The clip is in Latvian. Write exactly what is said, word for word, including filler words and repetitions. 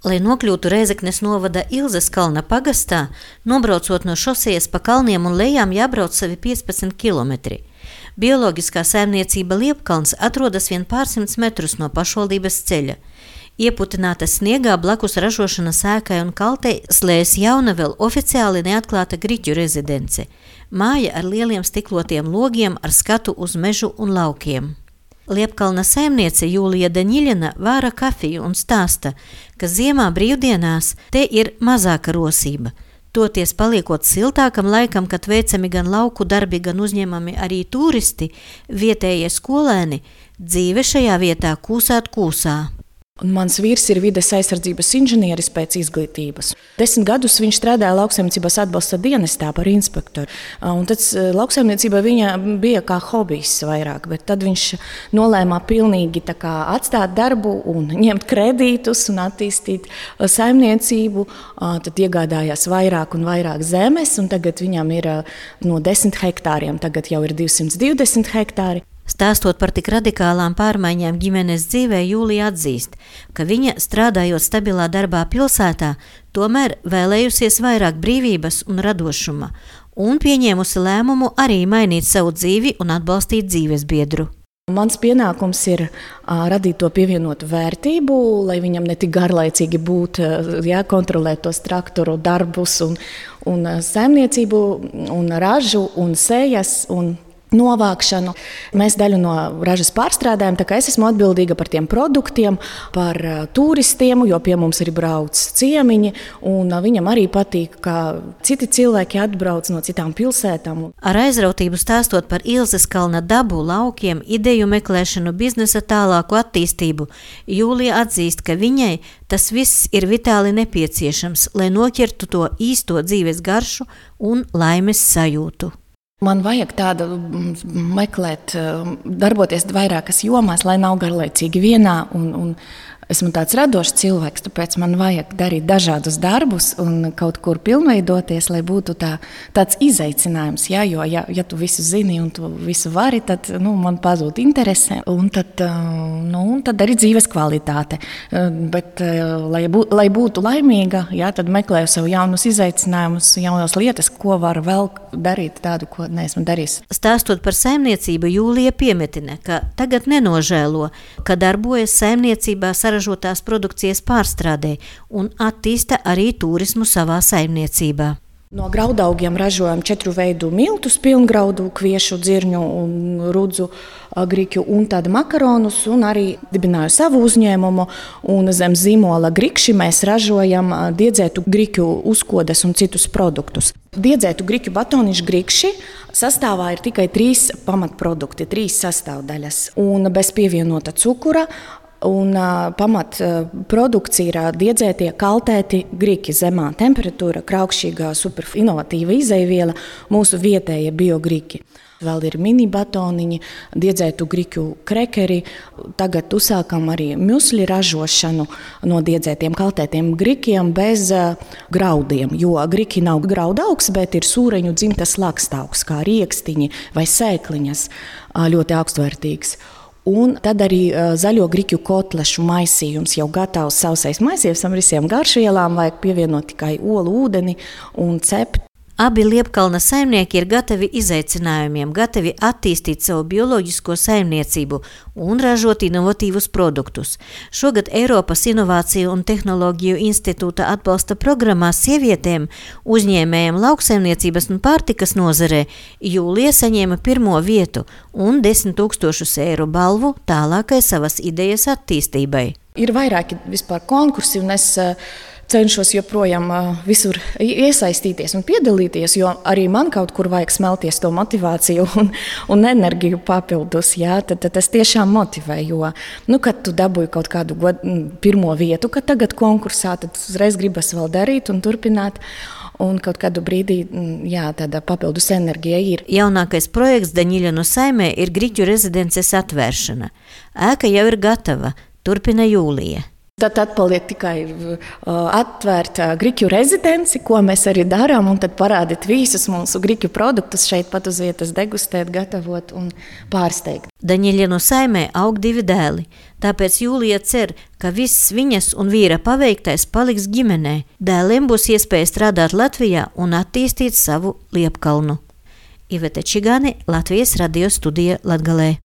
Lai nokļūtu Rēzeknes novada Ilzes kalna pagastā, nobraucot no šosejas pa kalniem un lejām jābrauc savi piecpadsmit kilometri. Bioloģiskā saimniecība Liepkalns atrodas vien pārsimts metrus no pašvaldības ceļa. Ieputināta sniegā blakus ražošanas ēkai un kaltei slējas jauna vēl oficiāli neatklāta Griķu rezidence. Māja ar lieliem stiklotiem logiem ar skatu uz mežu un laukiem. Liepkalna saimniece Jūlija Daņiļina vāra kafiju un stāsta, ka ziemā brīvdienās te ir mazāka rosība. Toties paliekot siltākam laikam, kad veicami gan lauku darbi, gan uzņemami arī turisti, vietējie skolēni, dzīve šajā vietā kūsāt kūsā. Un mans vīrs ir vides aizsardzības inženieris pēc izglītības. Desmit gadus viņš strādāja lauksaimniecības atbalsta dienestā par inspektoru. Un tad lauksaimniecība viņa bija kā hobijs vairāk, bet tad viņš nolēma pilnīgi tā kā atstāt darbu un ņemt kredītus un attīstīt saimniecību. Tad iegādājās vairāk un vairāk zemes, un tagad viņam ir no desmit hektāriem, tagad jau ir divsimt divdesmit hektāri. Stāstot par tik radikālām pārmaiņām ģimenes dzīvē, Jūlija atzīst, ka viņa, strādājot stabilā darbā pilsētā, tomēr vēlējusies vairāk brīvības un radošuma, un pieņēmusi lēmumu arī mainīt savu dzīvi un atbalstīt dzīves biedru. Mans pienākums ir uh, radīt to pievienotu vērtību, lai viņam ne tik garlaicīgi būtu, jā, kontrolēt tos traktoru darbus un, un saimniecību un ražu un sējas un novākšanu. Mēs daļu no ražas pārstrādājam, tā kā es esmu atbildīga par tiem produktiem, par uh, turistiem, jo pie mums ir brauc ciemiņi, un uh, viņam arī patīk, ka citi cilvēki atbrauc no citām pilsētām. Ar aizrautību stāstot par Ilzes kalna dabu, laukiem, ideju meklēšanu, biznesa tālāku attīstību, Jūlija atzīst, ka viņai tas viss ir vitāli nepieciešams, lai noķertu to īsto dzīves garšu un laimes sajūtu. Man vajag tādu meklēt, darboties vairākas jomās, lai nav garlaicīgi vienā. Un, un esmu tāds radošs cilvēks, tāpēc man vajag darīt dažādus darbus un kaut kur pilnveidoties, lai būtu tā, tāds izaicinājums. Jā, jo, ja, ja tu visu zini un tu visu vari, tad nu, man pazūd interese. Un tad, nu, tad arī dzīves kvalitāte. Bet, lai, bū, lai būtu laimīga, jā, tad meklēju sev jaunus izaicinājumus, jaunas lietas, ko var vēl darīt tādu, ko neesmu darījis. Stāstot par saimniecību, Jūlija piemetina, ka tagad nenožēlo, ka darbojas saimniecībā saražotās produkcijas pārstrādē un attīsta arī turismu savā saimniecībā. No graudaugiem ražojam četru veidu miltus, pilngraudu, kviešu, dzirņu un rudzu griķu un tādu makaronus, un arī dibināju savu uzņēmumu, un zem zīmola grikši mēs ražojam diedzētu griķu uzkodas un citus produktus. Diedzētu griķu batonišu grikši sastāvā ir tikai trīs pamatprodukti, trīs sastāvdaļas, un bez pievienota cukura. Un uh, pamat uh, produkcija ir uh, diedzētie kaltēti griki, zemā temperatūra, kraukšķīgā, super inovatīva izejviela, mūsu vietējie biogriki. Vēl ir mini batoniņi, diedzētu griķu krekeri. Tagad uzsākam arī musli ražošanu no diedzētiem kaltētiem grikiem bez uh, graudiem, jo griki nav graudaugs, bet ir sūreņu dzimtas lakstaugs, kā riekstiņi vai sēkliņas, uh, ļoti augstvērtīgs. Un tad arī uh, zaļo griķu kotlešu maisījums jau gatavs sausais maisījums ar visiem garšvielām, vajag pievienot tikai olu, ūdeni un cept. Abi Liepkalna saimnieki ir gatavi izaicinājumiem, gatavi attīstīt savu bioloģisko saimniecību un ražot inovatīvus produktus. Šogad Eiropas Inovāciju un Tehnoloģiju institūta atbalsta programmā sievietēm, uzņēmējiem lauksaimniecības un pārtikas nozarē Jūlija saņēma pirmo vietu un desmit tūkstošus eiro balvu tālākai savas idejas attīstībai. Ir vairāki vispār konkursi, un es cenšos joprojām visur iesaistīties un piedalīties, jo arī man kaut kur vajag smelties to motivāciju un, un enerģiju papildus. Jā, tad, tad tas tiešām motivē, jo, nu, kad tu dabūji kaut kādu god, pirmo vietu, kad tagad konkursā, tad uzreiz gribas vēl darīt un turpināt. Un kaut kādu brīdī, jā, tāda papildus enerģija ir. Jaunākais projekts Daņiļinu saimē ir Griķu rezidences atvēršana. Ēka jau ir gatava, turpina Jūlija. Tad atpaliek tikai atvērt griķu rezidenci, ko mēs arī darām, un tad parādīt visus mūsu griķu produktus šeit pat uz vietas, degustēt, gatavot un pārsteigt. Daņeļienu saimē aug divi dēli, tāpēc Jūlija cer, ka viss viņas un vīra paveiktais paliks ģimenē. Dēliem būs iespēja strādāt Latvijā un attīstīt savu Liepkalnu. Ivete Čigāne, Latvijas radio studija Latgalē.